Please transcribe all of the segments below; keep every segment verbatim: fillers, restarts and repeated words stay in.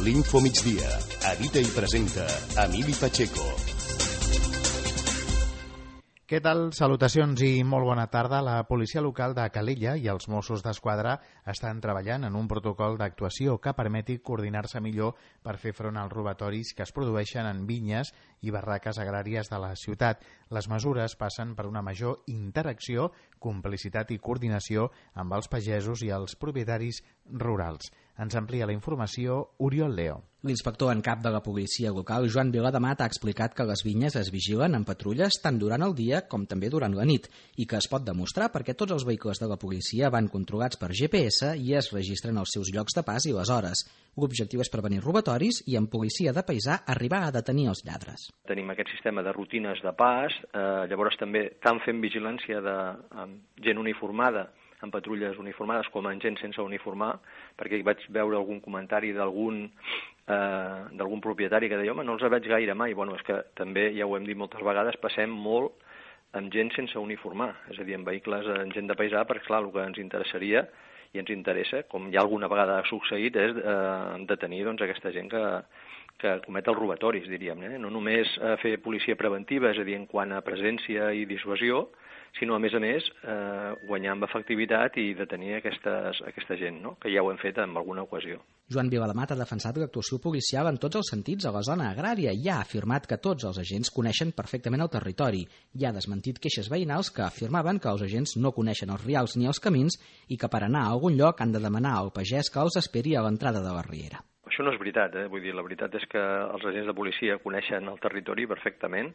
L'Info Migdia. Edita i presenta Emili Pacheco. Què tal? Salutacions i molt bona tarda. La policia local de Calella i els Mossos d'Esquadra estan treballant en un protocol d'actuació que permeti coordinar-se millor per fer front als robatoris que es produeixen en vinyes i barraques agràries de la ciutat. Les mesures passen per una major interacció, complicitat i coordinació amb els pagesos i els propietaris rurals. Ens amplia la informació Oriol Leo. L'inspector en cap de la policia local, Joan Vilademat, ha explicat que les vinyes es vigilen en patrulles tant durant el dia com també durant la nit i que es pot demostrar perquè tots els vehicles de la policia van controlats per G P S i es registren els seus llocs de pas i les hores. L'objectiu és prevenir robatoris i amb policia de paisà arribar a detenir els lladres. Tenim aquest sistema de rutines de pas, eh, llavors també tant fem vigilància de amb gent uniformada, en patrulles uniformades com en gent sense uniformar, perquè hi vaig veure algun comentari d'algun eh, d'algun propietari que deia, home, no els veig gaire mai. Bueno, és que també, ja ho hem dit moltes vegades, passem molt amb gent sense uniformar, és a dir, amb vehicles, amb gent de paisà, perquè clar, el que ens interessaria i ens interessa, com ja alguna vegada ha succeït, és eh, detenir doncs, aquesta gent que, que comet els robatoris, diríem. Eh? No només eh, fer policia preventiva, és a dir, en quant a presència i dissuasió, sinó, a més a més, eh, guanyar amb efectivitat i detenir aquestes, aquesta gent, no? Que ja ho hem fet en alguna ocasió. Joan Vilademat ha defensat l'actuació policial en tots els sentits a la zona agrària i ha afirmat que tots els agents coneixen perfectament el territori i ha desmentit queixes veïnals que afirmaven que els agents no coneixen els rials ni els camins i que per anar a algun lloc han de demanar al pagès que els esperi a l'entrada de la riera. Això no és veritat, eh? Vull dir, la veritat és que els agents de policia coneixen el territori perfectament.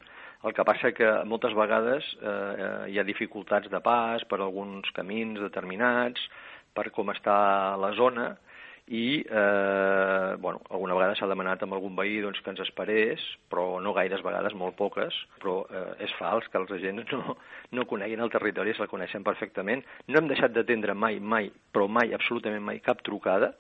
El que passa que moltes vegades eh, hi ha dificultats de pas per alguns camins determinats, per com està la zona, i eh, bueno, alguna vegada s'ha demanat amb algun veí doncs, que ens esperés, però no gaires vegades, molt poques, però eh, és fals que els agents no, no coneguin el territori, se'l coneixen perfectament. No hem deixat d'atendre mai, mai, però mai, absolutament mai, cap trucada,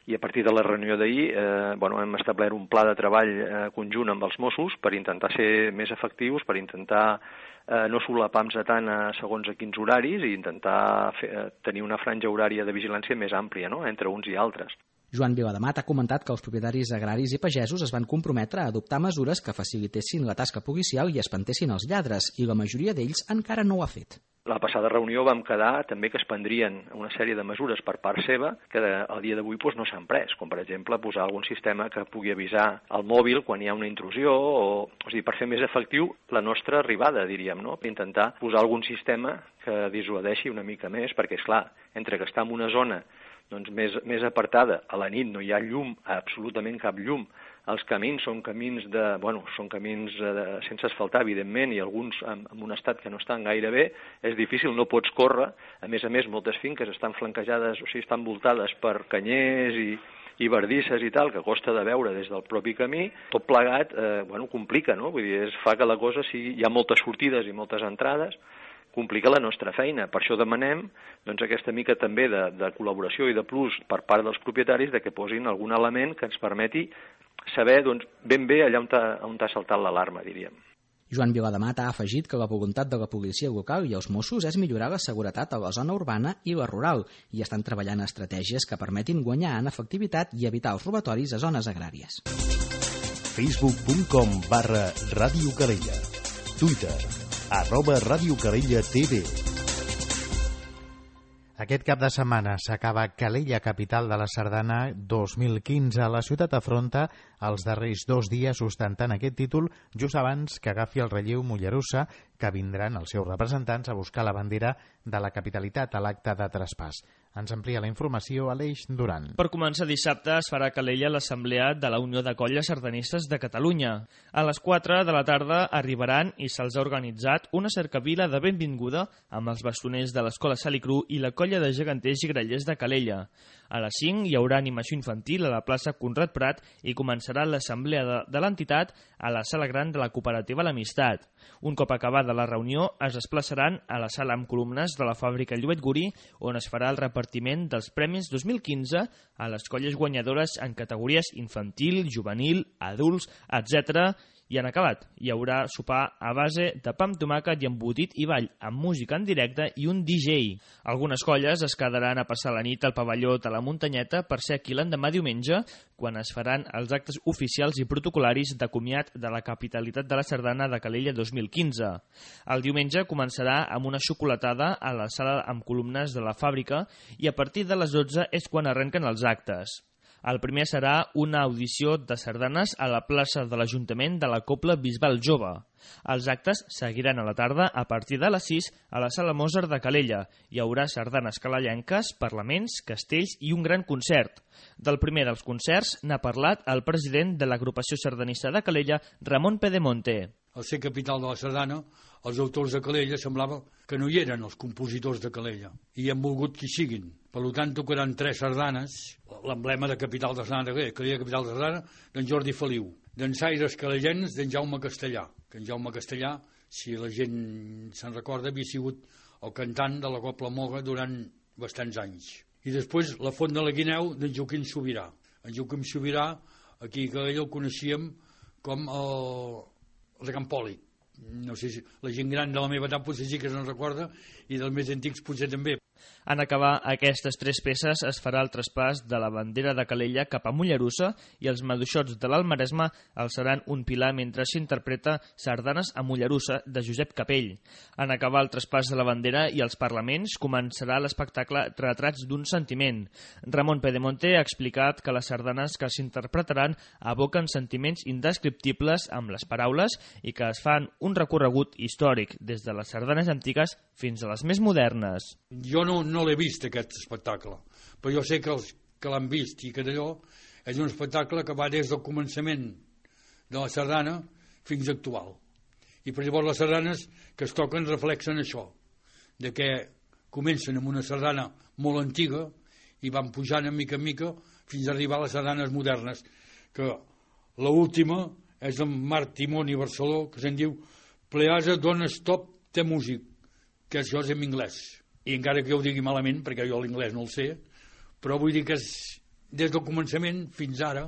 i a partir de la reunió d'ahir eh, bueno, hem establert un pla de treball eh, conjunt amb els Mossos per intentar ser més efectius, per intentar eh, no solapar-nos tant a segons a quins horaris i intentar fer, eh, tenir una franja horària de vigilància més àmplia, no?, entre uns i altres. Joan Vilademat ha comentat que els propietaris agraris i pagesos es van comprometre a adoptar mesures que facilitessin la tasca policial i espantessin els lladres, i la majoria d'ells encara no ho ha fet. La passada reunió vam quedar també que es prendrien una sèrie de mesures per part seva que al dia d'avui doncs, no s'han pres, com per exemple posar algun sistema que pugui avisar al mòbil quan hi ha una intrusió, o, o sigui, per fer més efectiu la nostra arribada, diríem, no? Intentar posar algun sistema que dissuadeixi una mica més, perquè, és clar, entre que està en una zona doncs, més, més apartada, a la nit no hi ha llum, absolutament cap llum, els camins són camins de, bueno, són camins de, sense asfaltar, evidentment, i alguns en, en un estat que no estan gaire bé, és difícil, no pots córrer. A més a més, moltes finques estan flanquejades, o sigui, estan voltades per canyers i, i bardisses i tal, que costa de veure des del propi camí. Tot plegat, eh, bueno, complica, no? Vull dir, es fa que la cosa sigui, hi ha moltes sortides i moltes entrades, complica la nostra feina. Per això demanem doncs, aquesta mica també de, de col·laboració i de plus per part dels propietaris de que posin algun element que ens permeti saber doncs, ben bé allà on t'ha, on t'ha saltat l'alarma, diríem. Joan Vilademat ha afegit que la voluntat de la policia local i els Mossos és millorar la seguretat a la zona urbana i la rural i estan treballant estratègies que permetin guanyar en efectivitat i evitar els robatoris a zones agràries. facebook punt com barra Ràdio Calella. Twitter arroba Ràdio Calella T V. Aquest cap de setmana s'acaba Calella, capital de la Sardana dos mil quinze. La ciutat afronta els darrers dos dies ostentant aquest títol just abans que agafi el relleu Mollerussa, que vindran els seus representants a buscar la bandera de la capitalitat a l'acte de traspàs. Ens amplia la informació Aleix Duran. Per començar dissabte es farà a Calella l'assemblea de la Unió de Colles Sardanistes de Catalunya. A les quatre de la tarda arribaran i se'ls ha organitzat una cercavila de benvinguda amb els bastoners de l'Escola Salicru i la colla de geganters i grallers de Calella. A les cinc hi haurà animació infantil a la plaça Conrad Prat i començarà l'assemblea de, de l'entitat a la sala gran de la cooperativa L'Amistat. Un cop acabada la reunió es desplaçaran a la sala amb columnes de la fàbrica Lluet Gurí, on es farà el repartiment dels premis dos mil quinze a les colles guanyadores en categories infantil, juvenil, adults, etcètera, I en acabat, hi haurà sopar a base de pa amb tomàquet i embotit i ball, amb música en directe i un D J. Algunes colles es quedaran a passar la nit al pavelló de la Muntanyeta per ser aquí l'endemà diumenge, quan es faran els actes oficials i protocolaris de comiat de la capitalitat de la sardana de Calella dos mil quinze. El diumenge començarà amb una xocolatada a la sala amb columnes de la fàbrica i a partir de les dotze és quan arrenquen els actes. El primer serà una audició de sardanes a la plaça de l'Ajuntament de la Cobla Bisbal Jove. Els actes seguiran a la tarda a partir de les sis a la Sala Mozart de Calella. Hi haurà sardanes calellenques, parlaments, castells i un gran concert. Del primer dels concerts n'ha parlat el president de l'agrupació sardanista de Calella, Ramon Pedemonte. Al ser capital de la sardana, els autors de Calella semblava que no hi eren els compositors de Calella, i han volgut que hi siguin. Per tant, tocaran tres sardanes, l'emblema de capital de la sardana de Calella, Calella capital de la sardana, d'en Jordi Feliu, d'en Saires Calellens, d'en Jaume Castellà, que en Jaume Castellà, si la gent se'n recorda, havia sigut el cantant de la Cobla Moga durant bastants anys. I després la Font de la Guineu d'en Joaquim Sobirà. En Joaquim Sobirà, aquí a Calella el coneixíem com el de Campoli. No sé si la gent gran de la meva edat potser sí que se'n recorda i dels més antics potser també. En acabar aquestes tres peces es farà el traspàs de la bandera de Calella cap a Mollerussa i els maduixots de l'Almaresme alçaran un pilar mentre s'interpreta Sardanes a Mollerussa de Josep Capell. En acabar el traspàs de la bandera i els parlaments començarà l'espectacle Retrats d'un sentiment. Ramon Pedemonte ha explicat que les sardanes que s'interpretaran aboquen sentiments indescriptibles amb les paraules i que es fan un recorregut històric des de les sardanes antigues fins a les més modernes. Jo no, no l'he vist, aquest espectacle, però jo sé que els que l'han vist i que d'allò és un espectacle que va des del començament de la sardana fins a actual. I per llavors les sardanes que es toquen reflexen això, de que comencen amb una sardana molt antiga i van pujant en mica en mica fins a arribar a les sardanes modernes, que l'última és en Marc Timón i Barceló, que se'n diu Pleasa Dona Stop Te Music, que això és en anglès. I encara que jo ho digui malament, perquè jo l'inglès no el sé, però vull dir que és des del començament fins ara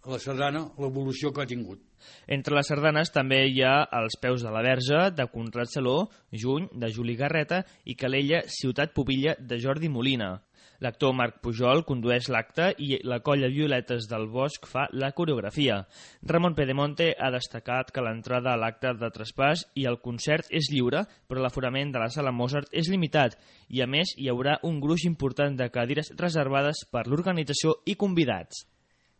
la sardana, l'evolució que ha tingut. Entre les sardanes també hi ha Els peus de la Verge, de Conrad Saló, Juny, de Juli Garreta, i Calella, Ciutat Pubilla, de Jordi Molina. L'actor Marc Pujol condueix l'acte i la colla Violetes del Bosc fa la coreografia. Ramon Pedemonte ha destacat que l'entrada a l'acte de traspàs i el concert és lliure, però l'aforament de la sala Mozart és limitat i, a més, hi haurà un gruix important de cadires reservades per l'organització i convidats.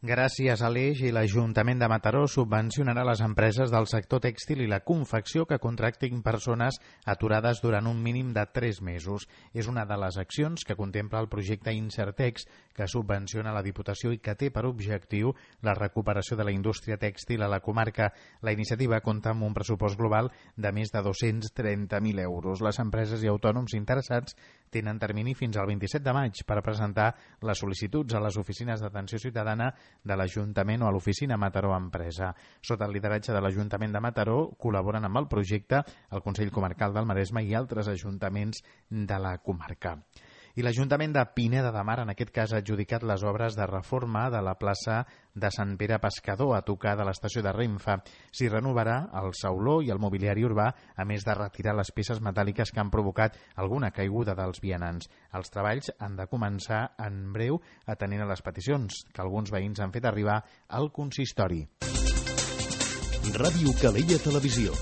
Gràcies a l'Eix i l'Ajuntament de Mataró subvencionarà les empreses del sector tèxtil i la confecció que contractin persones aturades durant un mínim de tres mesos. És una de les accions que contempla el projecte Insertex, que subvenciona la Diputació i que té per objectiu la recuperació de la indústria tèxtil a la comarca. La iniciativa compta amb un pressupost global de més de dos-cents trenta mil euros. Les empreses i autònoms interessats tenen termini fins al vint-i-set de maig per presentar les sol·licituds a les oficines d'atenció ciutadana de l'Ajuntament o a l'oficina Mataró Empresa. Sota el lideratge de l'Ajuntament de Mataró col·laboren amb el projecte el Consell Comarcal del Maresme i altres ajuntaments de la comarca. I l'Ajuntament de Pineda de Mar, en aquest cas, ha adjudicat les obres de reforma de la plaça de Sant Pere Pescador, a tocar de l'estació de Renfe. S'hi renovarà el sauló i el mobiliari urbà, a més de retirar les peces metàl·liques que han provocat alguna caiguda dels vianants. Els treballs han de començar en breu, atenent a les peticions que alguns veïns han fet arribar al consistori. Ràdio Calella Televisió,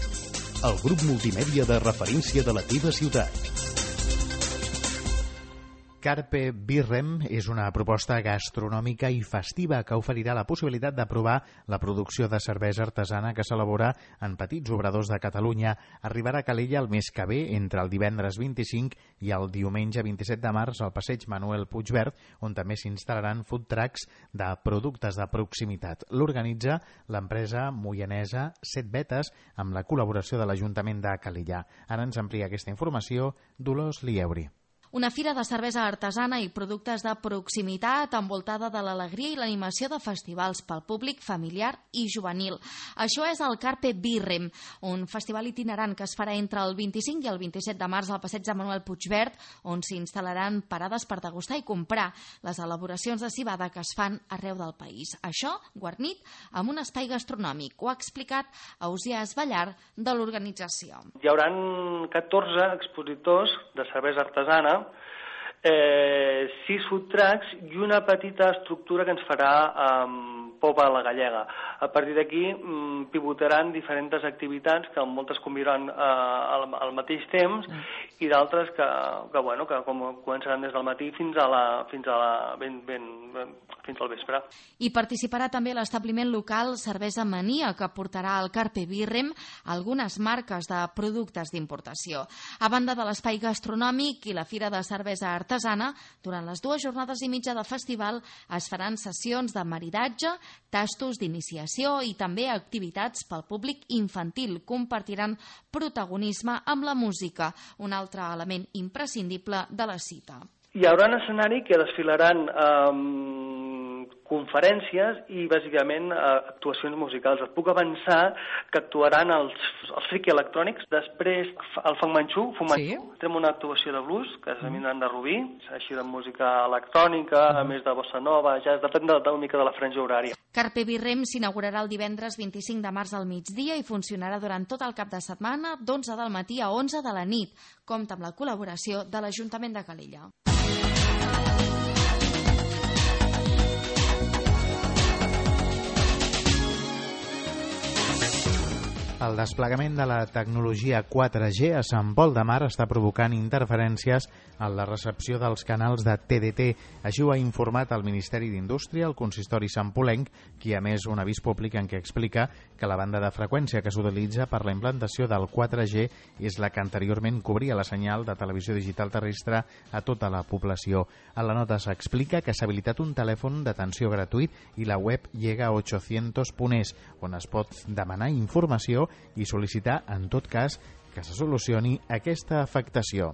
el grup multimèdia de referència de la teva ciutat. Carpe Birrem és una proposta gastronòmica i festiva que oferirà la possibilitat de provar la producció de cervesa artesana que s'elabora en petits obradors de Catalunya. Arribarà a Calella el mes que ve, entre el divendres vint-i-cinc i el diumenge vint-i-set de març, al passeig Manuel Puigverd, on també s'instal·laran food trucks de productes de proximitat. L'organitza l'empresa moianesa Set Vetes amb la col·laboració de l'Ajuntament de Calella. Ara ens amplia aquesta informació Dolors Lieuri. Una fira de cervesa artesana i productes de proximitat envoltada de l'alegria i l'animació de festivals pel públic familiar i juvenil. Això és el Carpe Birrem, un festival itinerant que es farà entre el vint-i-cinc i el vint-i-set de març al passeig de Manuel Puigverd, on s'instal·laran parades per degustar i comprar les elaboracions de civada que es fan arreu del país. Això guarnit amb un espai gastronòmic. Ho ha explicat Ausià Esballar de l'organització. Hi haurà catorze expositors de cervesa artesana, eh, sis food trucks i una petita estructura que ens farà eh, Popa a la Gallega. A partir d'aquí mm, pivotaran diferents activitats que moltes conviuran eh, al, al mateix temps i d'altres que, que, bueno, que com començaran des del matí fins a la, fins a la, ben, ben, ben, fins al vespre. I participarà també l'establiment local Cervesa Mania, que portarà al Carpe Birrem algunes marques de productes d'importació. A banda de l'espai gastronòmic i la fira de cervesa artesana, durant les dues jornades i mitja de festival es faran sessions de maridatge, tastos d'iniciació i també activitats pel públic infantil. Compartiran protagonisme amb la música, un altre element imprescindible de la cita. Hi haurà un escenari que desfilaran eh, conferències i, bàsicament, eh, actuacions musicals. Et puc avançar que actuaran els, els friki electrònics. Després, el Fang Manxú, Fung Manxú. Sí. Tenim una actuació de blues, que és Eminent de Rubí, així de música electrònica, a més de bossa nova, ja depèn de, de una mica de la franja horària. Carpe Birrem s'inaugurarà el divendres vint-i-cinc de març al migdia i funcionarà durant tot el cap de setmana, d'onze del matí a onze de la nit. Compta amb la col·laboració de l'Ajuntament de Calella. El desplegament de la tecnologia quatre G a Sant Pol de Mar està provocant interferències en la recepció dels canals de T D T. Així ho ha informat el Ministeri d'Indústria, el consistori santpolenc, qui ha emès un avís públic en què explica que la banda de freqüència que s'utilitza per la implantació del quatre G és la que anteriorment cobria la senyal de televisió digital terrestre a tota la població. A la nota s'explica que s'ha habilitat un telèfon d'atenció gratuït i la web llega a ochocientos punt es, on es pot demanar informació i sol·licitar, en tot cas, que se solucioni aquesta afectació.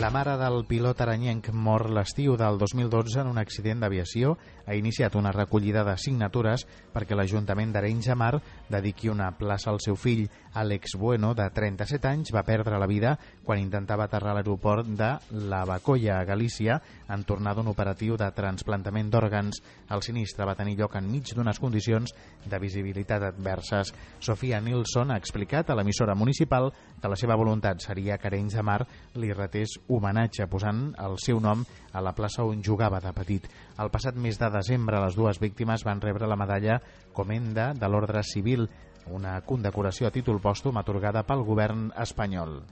La mare del pilot aranyenc mort l'estiu del dos mil dotze en un accident d'aviació ha iniciat una recollida de signatures perquè l'Ajuntament d'Arenys de Mar dediqui una plaça al seu fill. Àlex Bueno, de trenta-set anys, va perdre la vida quan intentava aterrar a l'aeroport de La Bacolla, a Galícia, en tornar d'un operatiu de trasplantament d'òrgans. El sinistre va tenir lloc enmig d'unes condicions de visibilitat adverses. Sofia Nilsson ha explicat a l'emissora municipal que la seva voluntat seria que Arenys de Mar li retés homenatge posant el seu nom a la plaça on jugava de petit. El passat mes de desembre les dues víctimes van rebre la medalla Comenda de l'Ordre Civil, una condecoració a títol pòstum atorgada pel govern espanyol.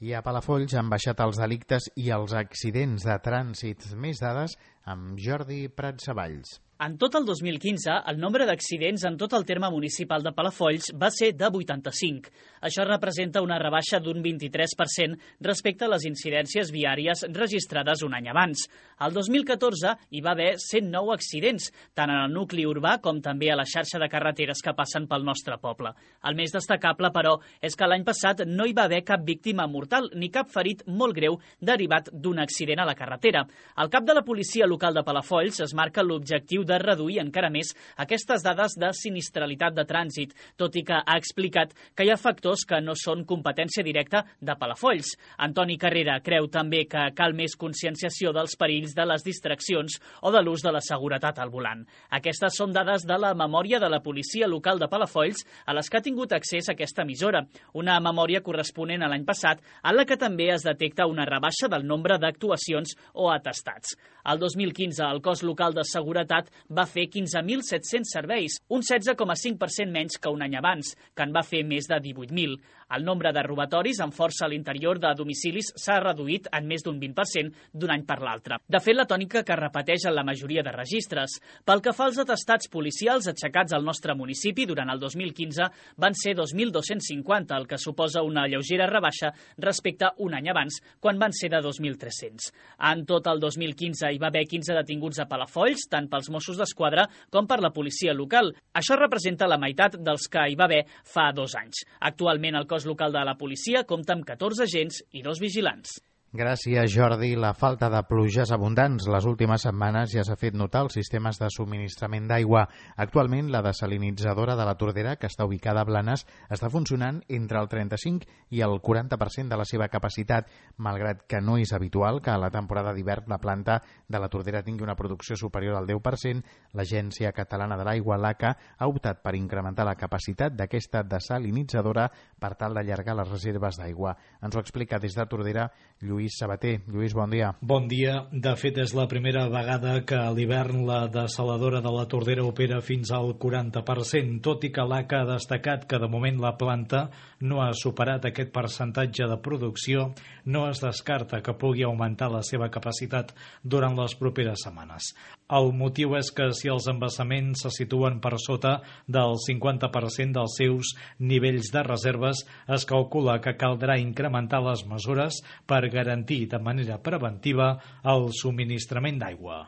I a Palafolls han baixat els delictes i els accidents de trànsit. Més dades amb Jordi Pratsavalls. En tot el dos mil quinze, el nombre d'accidents en tot el terme municipal de Palafolls va ser de vuitanta-cinc. Això representa una rebaixa d'un vint-i-tres per cent respecte a les incidències viàries registrades un any abans. El dos mil catorze hi va haver cent nou accidents, tant en el nucli urbà com també a la xarxa de carreteres que passen pel nostre poble. El més destacable, però, és que l'any passat no hi va haver cap víctima mortal ni cap ferit molt greu derivat d'un accident a la carretera. El cap de la policia local de Palafolls es marca l'objectiu de de reduir encara més aquestes dades de sinistralitat de trànsit, tot i que ha explicat que hi ha factors que no són competència directa de Palafolls. Antoni Carrera creu també que cal més conscienciació dels perills de les distraccions o de l'ús de la seguretat al volant. Aquestes són dades de la memòria de la policia local de Palafolls a les que ha tingut accés aquesta emissora, una memòria corresponent a l'any passat en la que també es detecta una rebaixa del nombre d'actuacions o atestats. El dos mil quinze el cos local de seguretat va fer quinze mil set-cents serveis, un setze coma cinc per cent menys que un any abans, que en va fer més de divuit mil. El nombre de robatoris amb força a l'interior de domicilis s'ha reduït en més d'un vint per cent d'un any per l'altre. De fet, la tònica que repeteix en la majoria de registres. Pel que fa als atestats policials aixecats al nostre municipi durant el dos mil quinze van ser dos mil dos-cents cinquanta, el que suposa una lleugera rebaixa respecte a un any abans, quan van ser de dos mil tres-cents. En tot el dos mil quinze hi va haver quinze detinguts a Palafolls, tant pels Mossos d'Esquadra com per la policia local. Això representa la meitat dels que hi va haver fa dos anys. Actualment el cos local de la policia compta amb catorze agents i dos vigilants. Gràcies, Jordi. La falta de pluges abundants les últimes setmanes ja s'ha fet notar als sistemes de subministrament d'aigua. Actualment, la desalinitzadora de la Tordera, que està ubicada a Blanes, està funcionant entre el trenta-cinc i el quaranta per cent de la seva capacitat, malgrat que no és habitual que a la temporada d'hivern la planta de la Tordera tingui una producció superior al deu per cent. L'Agència Catalana de l'Aigua, l'A C A, ha optat per incrementar la capacitat d'aquesta desalinitzadora per tal d'allargar les reserves d'aigua. Ens ho explica des de Tordera Lluís Lluís Sabater. Lluís, bon dia. Bon dia. De fet, és la primera vegada que a l'hivern la desaladora de la Tordera opera fins al quaranta per cent, tot i que l'A C A ha destacat que de moment la planta no ha superat aquest percentatge de producció, no es descarta que pugui augmentar la seva capacitat durant les properes setmanes. El motiu és que si els embassaments se situen per sota del cinquanta per cent dels seus nivells de reserves, es calcula que caldrà incrementar les mesures per garantir de manera preventiva el subministrament d'aigua.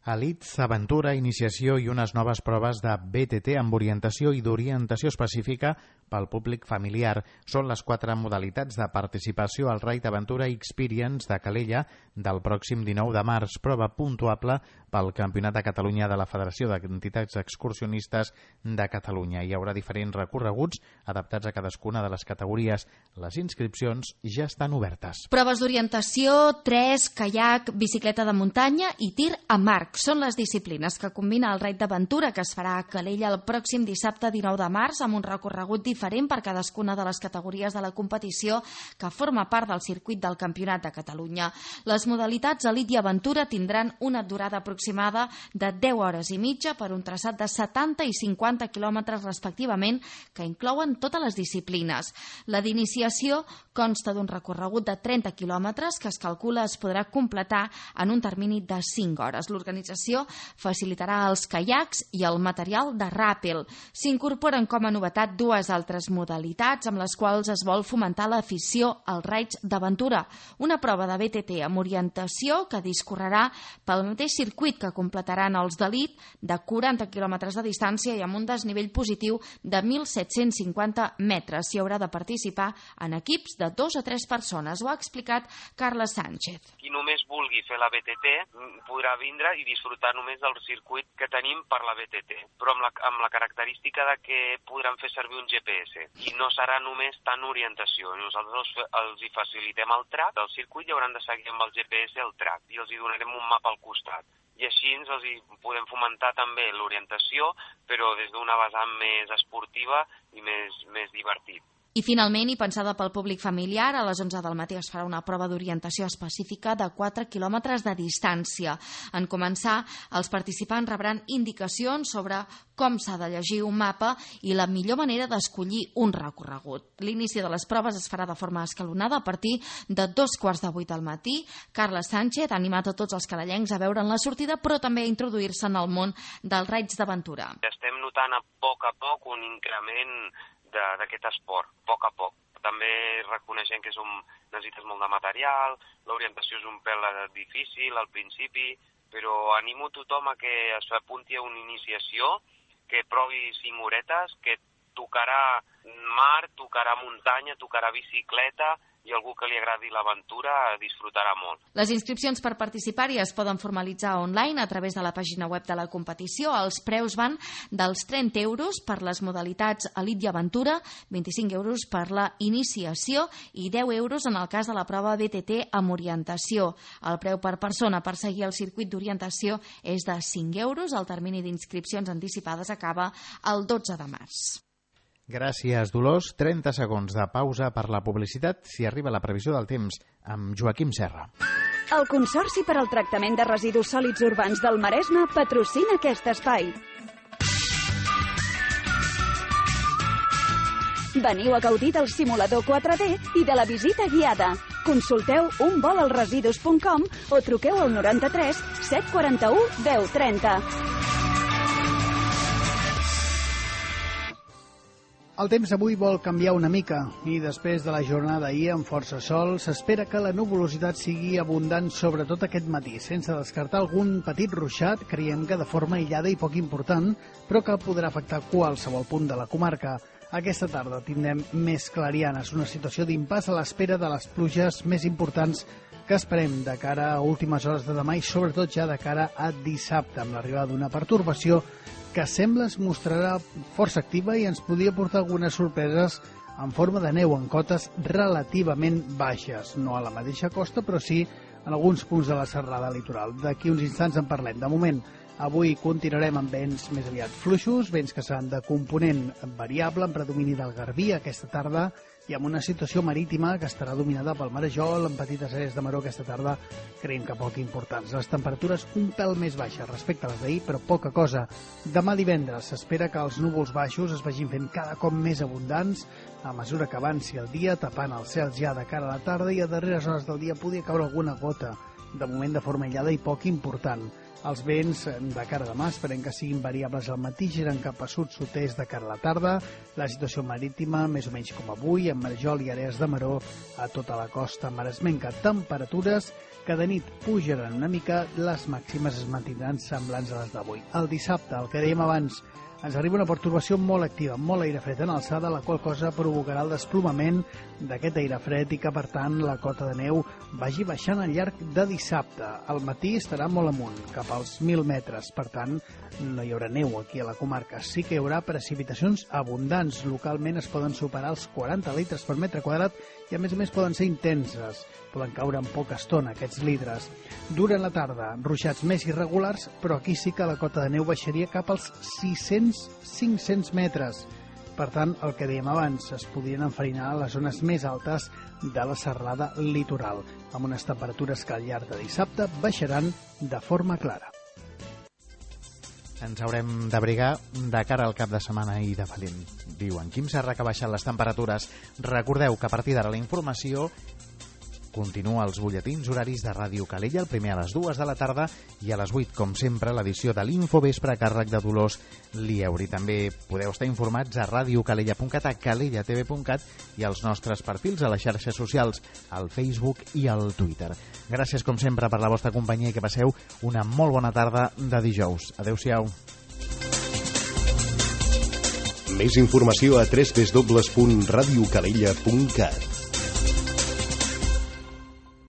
Elits, aventura, iniciació i unes noves proves de B T T amb orientació i d'orientació específica pel públic familiar. Són les quatre modalitats de participació al Ride Aventura Experience de Calella del pròxim dinou de març, prova puntuable pel Campionat de Catalunya de la Federació d'Entitats Excursionistes de Catalunya. Hi haurà diferents recorreguts adaptats a cadascuna de les categories. Les inscripcions ja estan obertes. Proves d'orientació, tres, caiac, bicicleta de muntanya i tir amb arc. Són les disciplines que combina el Ride d'Aventura, que es farà a Calella el pròxim dissabte dinou de març amb un recorregut diferent per cadascuna de les categories de la competició que forma part del circuit del Campionat de Catalunya. Les modalitats Elit i Aventura tindran una durada aproximada de deu hores i mitja per un traçat de setanta i cinquanta quilòmetres respectivament, que inclouen totes les disciplines. La d'iniciació consta d'un recorregut de trenta quilòmetres que es calcula es podrà completar en un termini de cinc hores. L'organització facilitarà els caiacs i el material de ràpel. S'incorporen com a novetat dues altres modalitats amb les quals es vol fomentar l'afició als raids d'aventura. Una prova de B T T amb orientació que discorrerà pel mateix circuit que completaran els d'elit de quaranta quilòmetres de distància i amb un desnivell positiu de mil set-cents cinquanta metres. S'hi haurà de participar en equips de dos a tres persones. Ho ha explicat Carles Sánchez. Qui només vulgui fer la B T T podrà vindre i disfrutar només del circuit que tenim per la B T T, però amb la, amb la característica de que podran fer servir un G P S i no serà només tant orientació. Nosaltres els, els hi facilitem el track del circuit i hauran de seguir amb el G P S el track i els hi donarem un mapa al costat. I així ens els hi podem fomentar també l'orientació, però des d'una vessant més esportiva i més, més divertit. I finalment, i pensada pel públic familiar, a les onze del matí es farà una prova d'orientació específica de quatre quilòmetres de distància. En començar, els participants rebran indicacions sobre com s'ha de llegir un mapa i la millor manera d'escollir un recorregut. L'inici de les proves es farà de forma escalonada a partir de dos quarts de vuit del matí. Carles Sánchez ha animat a tots els calellencs a veure'n la sortida, però també a introduir-se en el món dels raids d'aventura. Estem notant a poc a poc un increment d'aquest esport, a poc a poc. També reconeixem que som, necessites molt de material, l'orientació és un pèl difícil al principi, però animo tothom a que es apunti a una iniciació, que provi cinc horetes, que tocarà mar, tocarà muntanya, tocarà bicicleta, i algú que li agradi l'aventura disfrutarà molt. Les inscripcions per participar-hi es poden formalitzar online a través de la pàgina web de la competició. Els preus van dels trenta euros per les modalitats Elit i Aventura, vint-i-cinc euros per la iniciació i deu euros en el cas de la prova B T T amb orientació. El preu per persona per seguir el circuit d'orientació és de cinc euros. El termini d'inscripcions anticipades acaba el dotze de març. Gràcies, Dolors. trenta segons de pausa per la publicitat si arriba la previsió del temps amb Joaquim Serra. El Consorci per al Tractament de Residus Sòlids Urbans del Maresme patrocina aquest espai. Veniu a gaudir del simulador quatre D i de la visita guiada. Consulteu un vol als residus punt com o truqueu al noranta-tres set quaranta-u deu trenta. El temps avui vol canviar una mica i després de la jornada ahir amb força sol s'espera que la nuvolositat sigui abundant sobretot aquest matí, sense descartar algun petit ruixat, creiem que de forma aïllada i poc important, però que podrà afectar qualsevol punt de la comarca. Aquesta tarda tindrem més clarianes, una situació d'impàs a l'espera de les pluges més importants que esperem de cara a últimes hores de demà i sobretot ja de cara a dissabte, amb l'arribada d'una pertorbació que sembla es mostrarà força activa i ens podria portar algunes sorpreses en forma de neu en cotes relativament baixes, no a la mateixa costa, però sí en alguns punts de la serrada litoral. D'aquí uns instants en parlem. De moment, avui continuarem amb vents més aviat fluixos, vents que seran de component variable, en predomini del Garbí aquesta tarda, i amb una situació marítima que estarà dominada pel marejol, en petites àrees de maró aquesta tarda, creiem que poc importants. Les temperatures un pèl més baixes respecte a les d'ahir, però poca cosa. Demà divendres s'espera que els núvols baixos es vagin fent cada cop més abundants a mesura que avanci el dia, tapant els cels ja de cara a la tarda i a darreres hores del dia podria caure alguna gota, de moment de forma aïllada i poc important. Els vents de cara a demà esperem que siguin variables al matí, giren cap a sud-sud-est de cara a la tarda. La situació marítima, més o menys com avui, amb marejol i àrees de maró a tota la costa maresmenca. Temperatures que de nit pujaran una mica, les màximes es mantindran semblants a les d'avui. El dissabte, el que dèiem abans, ens arriba una pertorbació molt activa, molt aire fred en alçada, la qual cosa provocarà el desplomament d'aquest aire fred i que, per tant, la cota de neu vagi baixant al llarg de dissabte. Al matí estarà molt amunt, cap als mil metres, per tant, no hi haurà neu aquí a la comarca. Sí que hi haurà precipitacions abundants, localment es poden superar els quaranta litres per metre quadrat i, a més a més, poden ser intenses. Poden caure en poca estona aquests litres. Durant la tarda, ruixats més irregulars, però aquí sí que la cota de neu baixaria cap als sis-cents a cinc-cents metres. Per tant, el que dèiem abans, es podrien enfarinar a les zones més altes de la serralada litoral, amb unes temperatures que al llarg de dissabte baixaran de forma clara. Ens haurem d'abrigar de cara al cap de setmana i de valent. Diu en Quim Serra que baixen les temperatures. Recordeu que a partir d'ara la informació continua els butlletins horaris de Ràdio Calella, el primer a les dues de la tarda i a les vuit, com sempre, l'edició de l'Infovespre a càrrec de Dolors Lieuri. També podeu estar informats a radiocalella punt cat, a calella t v punt cat i als nostres perfils a les xarxes socials, al Facebook i al Twitter. Gràcies, com sempre, per la vostra companyia i que passeu una molt bona tarda de dijous. Adéu-siau. Més informació a w w w punt radiocalella punt cat.